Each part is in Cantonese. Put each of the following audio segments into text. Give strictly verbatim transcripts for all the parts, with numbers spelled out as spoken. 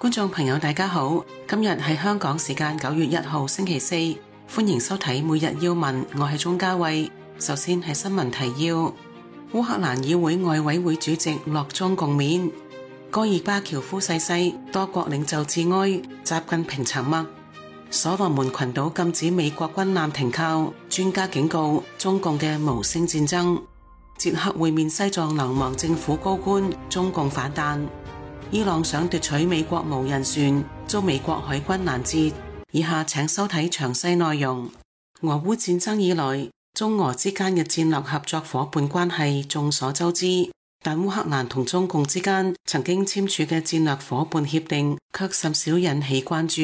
觀眾朋友大家好，今日係香港時間九月一號星期四，歡迎收睇每日要聞，我係鍾嘉慧。首先係新聞提要：烏克蘭議會外委會主席落中共面；戈爾巴喬夫逝世，多國領袖致哀，習近平沉默；所羅門群島禁止美國軍艦停靠，專家警告中共嘅無聲戰爭；捷克會面西藏流亡政府高官，中共反彈；伊朗想奪取美國無人船，遭美國海軍攔截。以下請收睇詳細內容。俄烏戰爭以來，中俄之間嘅戰略合作夥伴關係眾所周知，但烏克蘭同中共之間曾經簽署嘅戰略夥伴協定卻甚少引起關注。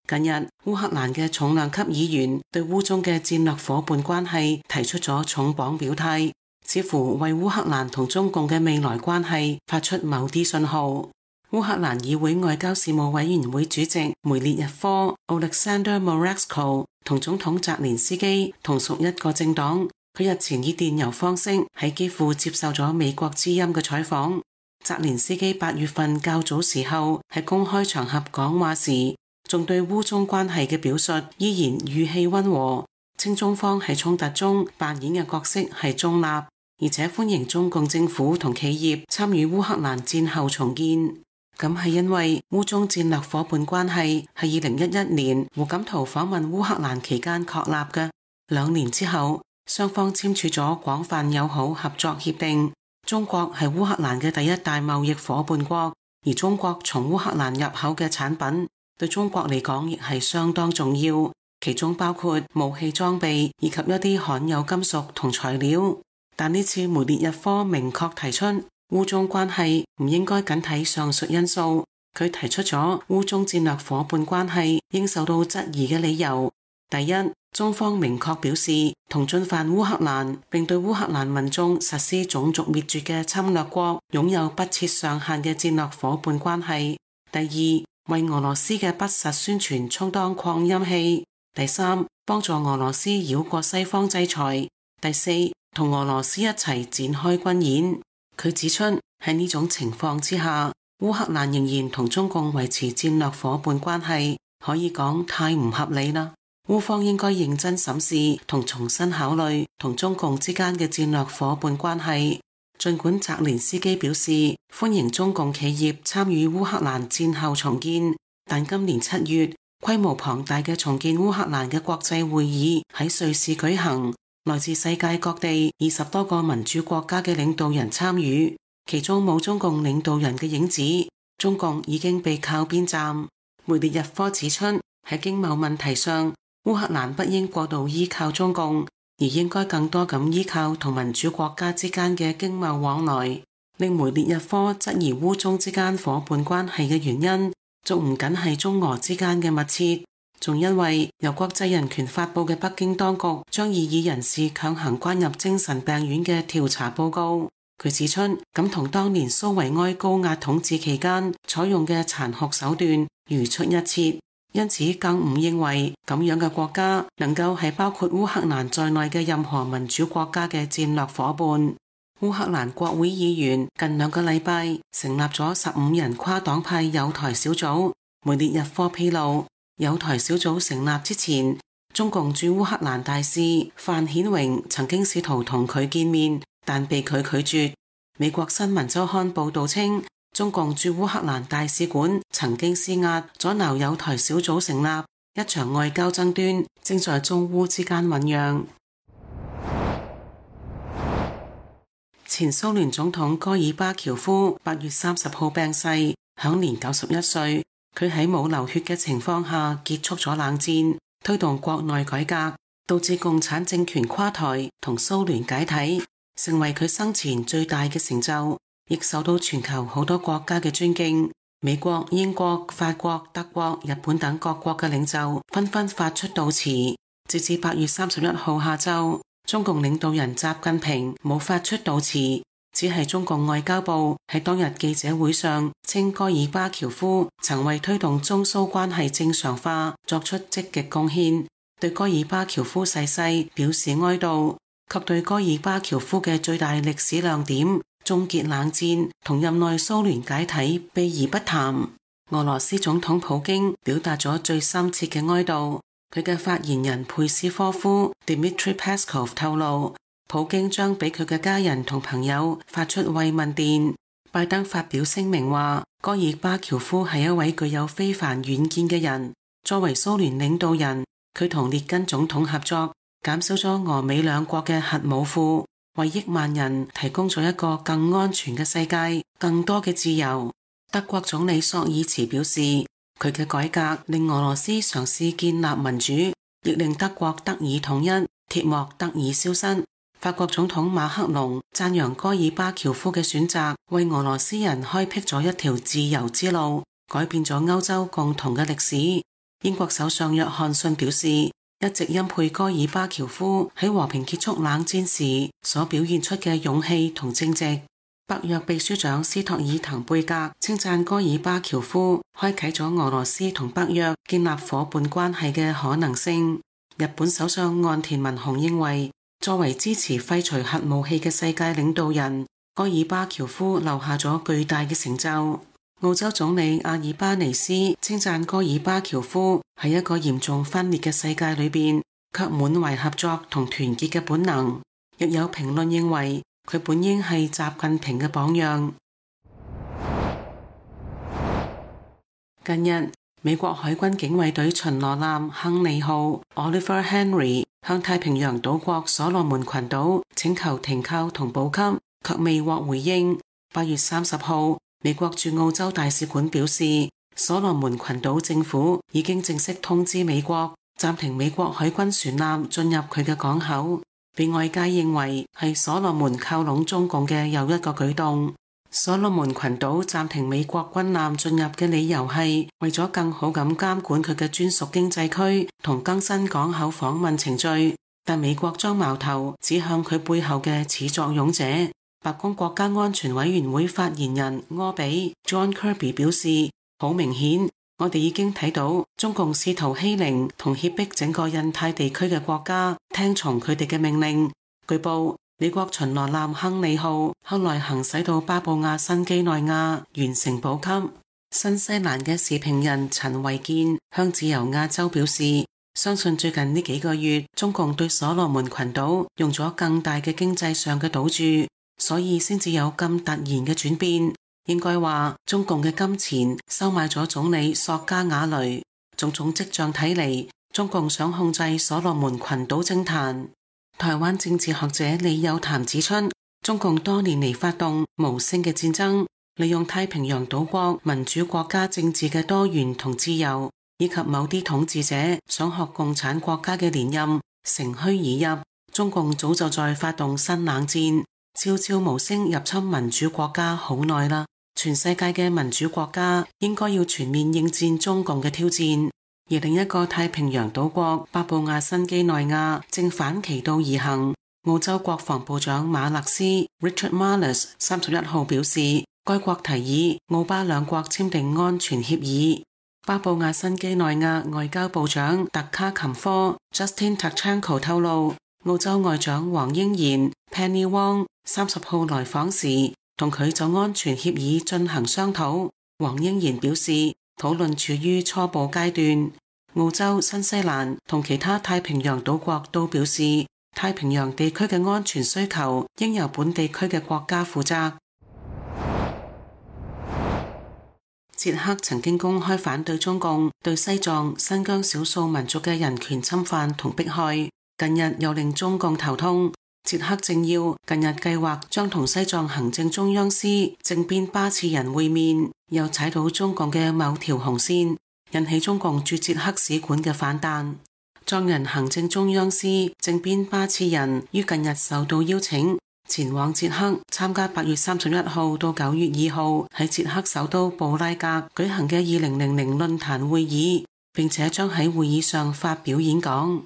近日，烏克蘭嘅重量級議員對烏中嘅戰略夥伴關係提出咗重磅表態，似乎為烏克蘭同中共嘅未來關係發出某啲信號。烏克蘭議會外交事務委員會主席梅列日科 Oleksandr Moravsko 同總統澤連斯基同屬一個政黨。佢日前以電郵方式喺基輔接受咗美國之音嘅採訪。澤連斯基八月份較早時候喺公開場合講話時，仲對烏中關係嘅表述依然語氣溫和，稱中方喺衝突中扮演嘅角色係中立，而且歡迎中共政府同企業參與烏克蘭戰後重建。咁係因為烏中戰略夥伴關係係二零一一年胡錦濤訪問烏克蘭期間確立嘅，兩年之後雙方簽署咗廣泛友好合作協定。中國係烏克蘭嘅第一大貿易夥伴國，而中國從烏克蘭入口嘅產品對中國嚟講亦係相當重要，其中包括武器裝備以及一啲罕有金屬同材料。但呢次梅列日科明確提出，烏中關係唔應該僅睇上述因素，佢提出咗烏中戰略夥伴關係應受到質疑嘅理由。第一，中方明確表示同進犯烏克蘭並對烏克蘭民眾實施種族滅絕嘅侵略國擁有不設上限嘅戰略夥伴關係。第二，為俄羅斯嘅不實宣傳充當擴音器。第三，幫助俄羅斯繞過西方制裁。第四，同俄羅斯一齊展開軍演。佢指出，喺呢種情況之下，烏克蘭仍然同中共維持戰略夥伴關係，可以講太唔合理啦。烏方應該認真審視同重新考慮同中共之間嘅戰略夥伴關係。儘管澤連斯基表示歡迎中共企業參與烏克蘭戰後重建，但今年七月，規模龐大嘅重建烏克蘭嘅國際會議喺瑞士舉行。來自世界各地二十多個民主國家嘅領導人參與，其中冇中共領導人嘅影子，中共已經被靠邊站。梅列日科指出，喺經貿問題上，烏克蘭不應過度依靠中共，而應該更多咁依靠同民主國家之間嘅經貿往來。令梅列日科質疑烏中之間夥伴關係嘅原因，仲唔僅係中俄之間嘅密切，仲因為由國際人權發佈嘅北京當局將異議人士強行關入精神病院嘅調查報告，佢指出咁同當年蘇維埃高壓統治期間採用嘅殘酷手段如出一轍，因此更唔認為咁樣嘅國家能夠係包括烏克蘭在內嘅任何民主國家嘅戰略夥伴。烏克蘭國會議員近兩個禮拜成立咗十五人跨黨派友台小組。梅列日科披露，友台小組成立之前，中共駐烏克蘭大使范顯榮曾經試圖同佢見面，但被佢拒絕。美國新聞週刊報道稱，中共駐烏克蘭大使館曾經施壓阻撓友台小組成立，一場外交爭端正在中烏之間醞釀。前蘇聯總統戈爾巴喬夫八月三十號病逝，享年九十一歲。佢喺冇流血嘅情況下結束咗冷戰，推動國內改革，導致共產政權垮台同蘇聯解體，成為佢生前最大嘅成就，亦受到全球好多國家嘅尊敬。美國、英國、法國、德國、日本等各國嘅領袖紛紛發出悼詞。直至八月三十一號下晝，中共領導人習近平冇發出悼詞。只係中共外交部喺當日記者會上稱，戈爾巴喬夫曾為推動中蘇關係正常化作出積極貢獻，對戈爾巴喬夫逝世表示哀悼，及對戈爾巴喬夫嘅最大歷史亮點終結冷戰同任內蘇聯解體避而不談。俄羅斯總統普京表達咗最深切嘅哀悼。佢嘅發言人佩斯科夫 Dmitry Peskov 透露，普京將俾佢嘅家人同朋友發出慰問電。拜登發表聲明話，戈爾巴喬夫係一位具有非凡遠見嘅人。作為蘇聯領導人，佢同列根總統合作，減少咗俄美兩國嘅核武庫，為億萬人提供咗一個更安全嘅世界，更多嘅自由。德國總理朔爾茨表示，佢嘅改革令俄羅斯嘗試建立民主，亦令德國得以統一，鐵幕得以消失。法國總統馬克龍讚揚戈爾巴喬夫嘅選擇，為俄羅斯人開闢咗一條自由之路，改變咗歐洲共同嘅歷史。英國首相約翰遜表示，一直欽佩戈爾巴喬夫喺和平結束冷戰時所表現出嘅勇氣同正直。北約秘書長斯托爾滕貝格稱讚戈爾巴喬夫開啟咗俄羅斯同北約建立夥伴關係嘅可能性。日本首相岸田文雄認為，作為支持廢除核武器嘅世界領導人，戈爾巴喬夫留下咗巨大嘅成就。澳洲總理阿爾巴尼斯稱讚戈爾巴喬夫喺一個嚴重分裂嘅世界裏邊，卻滿懷合作同團結嘅本能。亦有評論認為，佢本應係習近平嘅榜樣。近日，美國海軍警衛隊巡邏艦亨利號 Oliver Henry 向太平洋島國所羅門群島請求停靠同補給，卻未獲回應。八月三十號，美國駐澳洲大使館表示，所羅門群島政府已經正式通知美國，暫停美國海軍船艦進入佢嘅港口，被外界認為係所羅門靠攏中共嘅又一個舉動。所羅門群島暫停美國軍艦進入嘅理由係為咗更好咁監管佢嘅專屬經濟區同更新港口訪問程序，但美國將矛頭指向佢背後嘅始作俑者。白宮國家安全委員會發言人柯比 John Kirby 表示，好明顯，我哋已經睇到中共試圖欺凌同脅迫整個印太地區嘅國家聽從佢哋嘅命令。據報，美國巡邏艦亨利號後來行駛到巴布亞新畿內亞完成補給。新西蘭嘅時評人陳維健向自由亞洲表示，相信最近呢幾個月中共對所羅門群島用咗更大嘅經濟上嘅賭注，所以先至有咁突然嘅轉變。應該話中共嘅金錢收買咗總理索加瓦雷，種種跡象睇嚟，中共想控制所羅門群島政壇。台灣政治學者李友談指出，中共多年嚟發動無聲嘅戰爭，利用太平洋島國民主國家政治嘅多元同自由，以及某啲統治者想學共產國家嘅連任，乘虛而入。中共早就在發動新冷戰，悄悄無聲入侵民主國家好耐啦。全世界嘅民主國家應該要全面應戰中共嘅挑戰。而另一個太平洋島國巴布亞新畿內亞正反其道而行。澳洲國防部長馬勒斯 Richard Marles 三十一號表示，該國提議澳巴兩國簽訂安全協議。巴布亞新畿內亞外交部長特卡琴科 Justin Tachanko 透露，澳洲外長黃英賢 Penny Wong 三十號來訪時，同佢就安全協議進行商討。黃英賢表示，討論處於初步階段。澳洲、新西蘭同其他太平洋島國都表示，太平洋地區嘅安全需求應由本地區嘅國家負責。捷克曾經公開反對中共對西藏、新疆少數民族嘅人權侵犯同迫害，近日又令中共頭痛。捷克政要近日計劃將同西藏行政中央司政變巴次仁會面，又踩到中共嘅某條紅線，引起中共駐捷克使館嘅反彈。藏人行政中央司政變巴次仁於近日受到邀請，前往捷克參加八月三十一號到九月二號喺捷克首都布拉格舉行嘅二零零零論壇會議，並且將喺會議上發表演講。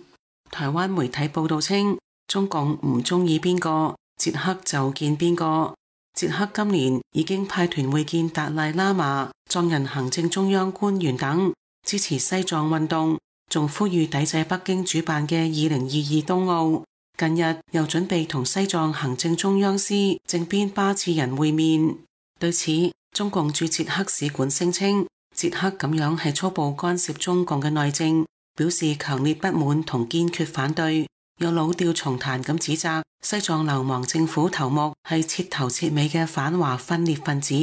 台灣媒體報道稱，中共唔中意邊個，捷克就見邊個。捷克今年已經派團會見達賴喇嘛、藏人行政中央官員等，支持西藏運動，仲呼籲抵制北京主辦嘅二零二二冬奧。近日又準備同西藏行政中央司政變巴次仁會面。對此，中共駐捷克使館聲稱，捷克咁樣係粗暴干涉中共嘅內政，表示強烈不滿同堅決反對，又老調重彈咁指責西藏流亡政府頭目係徹頭徹尾嘅反華分裂分子。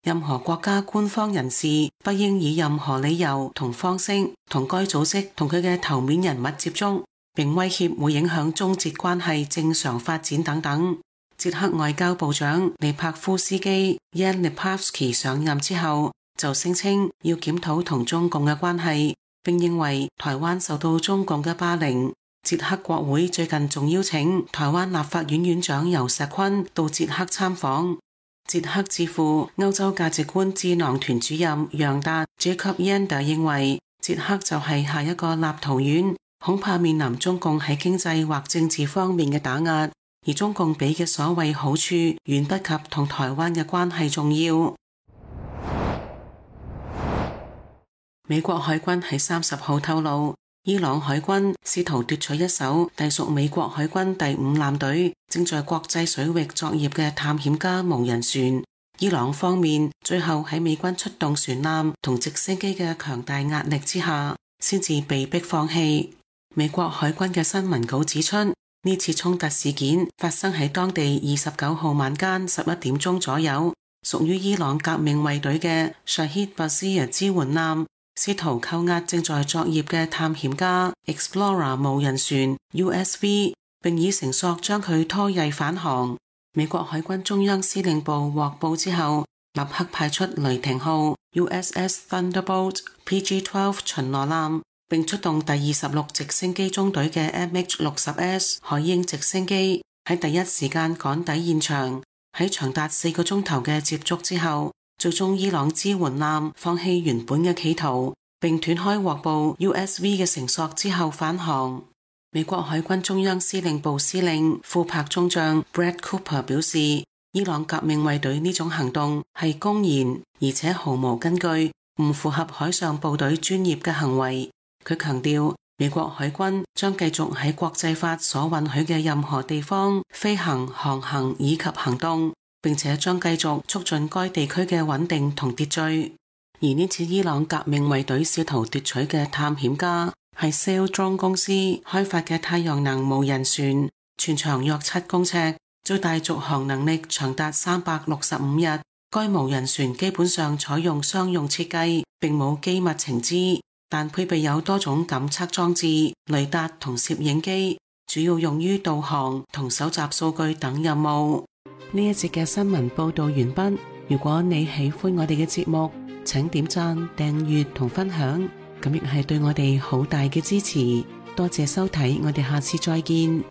任何國家官方人士不應以任何理由同方式同該組織同佢嘅頭面人物接觸，並威脅會影響中捷關係正常發展等等。捷克外交部長利帕夫斯基 Jan Lipavsky 上任之後，就聲稱要檢討同中共嘅關係，並認為台灣受到中共嘅霸凌。捷克國會最近仲邀請台灣立法院院長游錫堃到捷克參訪。捷克智庫歐洲價值觀智囊團主任楊達 Jacob Yander 認為，捷克就係下一個立陶宛，恐怕面臨中共喺經濟或政治方面嘅打壓，而中共俾嘅所謂好處遠不及同台灣嘅關係重要。美國海軍喺三十號透露，伊朗海軍試圖奪取一艘隸屬美國海軍第五艦隊正在國際水域作業嘅探險家無人船。伊朗方面最後喺美軍出動船艦同直升機嘅強大壓力之下，先至被迫放棄。美國海軍嘅新聞稿指出，呢次衝突事件發生喺當地二十九號晚間十一點鐘左右，屬於伊朗革命衛隊嘅 Shahid Bazir 支援艦試圖扣押正在作業嘅探險家 Explorer 無人船 U S V， 並以繩索將佢拖曳返航。美國海軍中央司令部獲報之後，立刻派出雷霆號 U S S Thunderbolt P G 十二 巡邏艦，並出動第二十六直升機中隊嘅 M H 六十 S 海鷹直升機，喺第一時間趕抵現場。喺長達四個鐘頭嘅接觸之後，最終伊朗支援艦放棄原本嘅企圖，並斷開獲報 U S V 嘅繩索之後返航。美國海軍中央司令部司令庫珀中將 Brad Cooper 表示，伊朗革命衛隊呢種行動係公然而且毫無根據，唔符合海上部隊專業嘅行為。佢強調，美國海軍將繼續喺國際法所允許嘅任何地方飛行、航行以及行動，並且將繼續促進該地區嘅穩定同秩序。而呢次伊朗革命衛隊試圖奪取嘅探險家係 Saildrone 公司開發嘅太陽能無人船，全長約七公尺，最大續航能力長達三百六十五日。該無人船基本上採用商用設計，並冇機密情資，但配備有多種感測裝置、雷達同攝影機，主要用於導航同搜集數據等任務。呢一節嘅新聞報道完畢。如果你喜歡我哋嘅節目，請點讚、訂閱同分享，咁亦係對我哋好大嘅支持。多謝收睇，我哋下次再見。